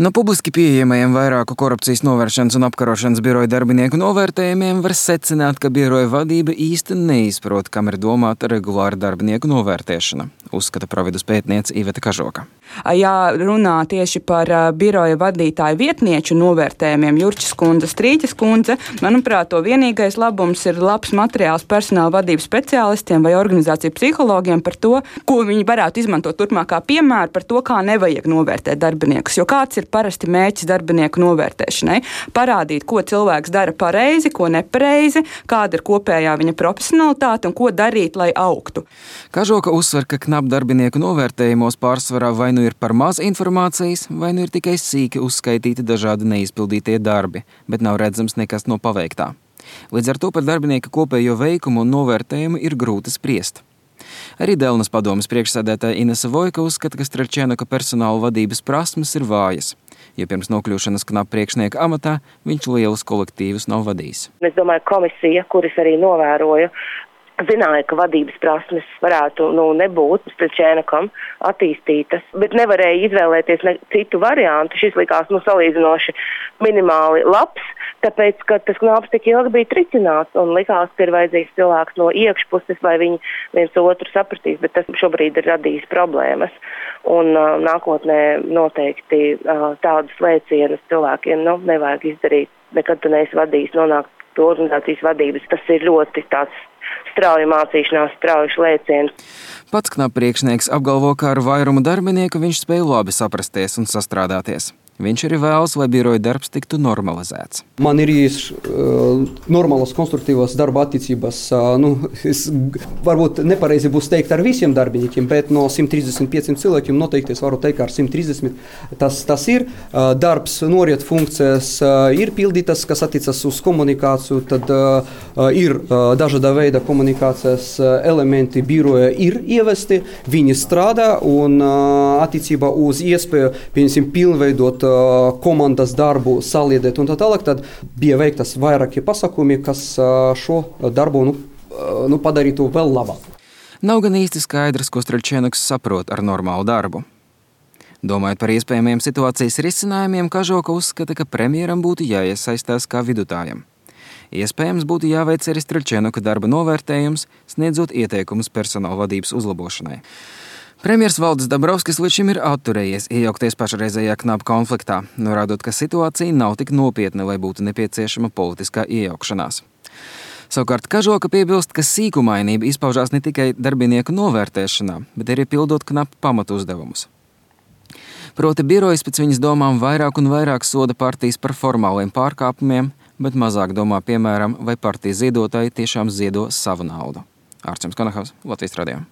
No publiski pieejamajiem vairāku korupcijas novēršanas un apkarošanas biroja darbinieku novērtējumiem var secināt, ka biroja vadība īsti neizprot, kam ir domāta regulāra darbinieku novērtēšana, uzskata Providus pētniece Iveta Kažoka. Ja runā tieši par biroja vadītāju vietnieču novērtējumiem, Jurčas kundze, Strīķas kundze, manuprāt, to vienīgais labums ir labs materiāls personāla vadības speciālistiem vai organizāciju psihologiem par to, ko viņi varētu izmantot turpmākā piemēra par to, kā nevajag novērtēt darbiniekus. Jo kāds ir parasti mērķis darbinieku novērtēšanai? Parādīt, ko cilvēks dara pareizi, ko nepareizi, kāda ir kopējā viņa profesionalitāte un ko darīt, lai augtu. Kažoka uzsver, ka knap darbinieku novērtējumos pārsvarā vai nu ir par maz informācijas, vai nu ir tikai sīki uzskaitīti dažādi neizpildītie darbi, bet nav redzams nekas no paveiktā. Līdz ar to par darbinieka kopējo veikumu un novērtējumu ir grūti spriest. Arī Delnas padomes priekšsēdētāja Inese Vojka uzskata, ka Streļčēnoka personāla vadības prasmes ir vājas, jo pirms nokļūšanas knap priekšnieka amatā viņš lielus kolektīvus nav vadījis. Es domāju, komisija, kuras arī novēroja, zināja, ka vadības prasmes varētu nebūt Streļčēnokam attīstītas, bet nevarēja izvēlēties citu variantu. Šis likās salīdzinoši minimāli labs, tāpēc, ka tas knaps tik ilgi bija tricināts un likās, ka ir vajadzīgs cilvēks no iekšpuses, lai viņi viens otru sapratīs, bet tas šobrīd ir radījis problēmas. Un nākotnē noteikti tādus lēcienus cilvēkiem nevajag izdarīt. Nekad tu neesi vadījis, nonākt pie organizācijas vadības. Tas ir ļoti tāds strauja mācīšanās, straujuši lēciens. Pats knap priekšnieks apgalvo, ka ar vairumu darbinieku viņš spēja labi saprasties un sastrādāties. Viņš arī vēlas, lai biroja darbs tiktu normalizēts. Man ir normālas konstruktīvas darba attiecības. Es varbūt nepareizi būs teikt ar visiem darbiniekiem, bet no 135 cilvēkiem noteikti es varu teikt, ka ar 130 tas ir. Darbs, noriet funkcijas ir pildītas, kas attiecas uz komunikāciju, tad ir dažāda veida komunikācijas elementi biroja ir ievesti, viņi strādā un attiecībā uz iespēju, piemēram, pilnveidot komandas darbu, saliedēt un tā tālāk, tad bija veiktas vairāki pasākumi, kas šo darbu padarītu vēl labāk. Nav gan īsti skaidrs, ko Streļčēnoks saprot ar normālu darbu. Domājot par iespējamiem situācijas risinājumiem, Kažoka uzskata, ka premjeram būtu jāiesaistās kā vidutājam. Iespējams būtu jāveic arī Streļčēnoka darba novērtējums, sniedzot ieteikumus personāla vadības uzlabošanai. Premjers Valdis Dabrovskis līdz šim ir atturējies iejaukties pašreizējā knap konfliktā, norādot, ka situācija nav tik nopietna, lai būtu nepieciešama politiskā iejaukšanās. Savukārt Kažoka piebilst, ka sīkumainība izpaužās ne tikai darbinieku novērtēšanā, bet arī pildot knap pamatu uzdevumus. Proti birojas pēc viņas domām vairāk un vairāk soda partijas par formāliem pārkāpumiem, bet mazāk domā, piemēram, vai partijas ziedotāji tiešām ziedo savu naudu. Ārčuns Konahavs, Latvijas radio.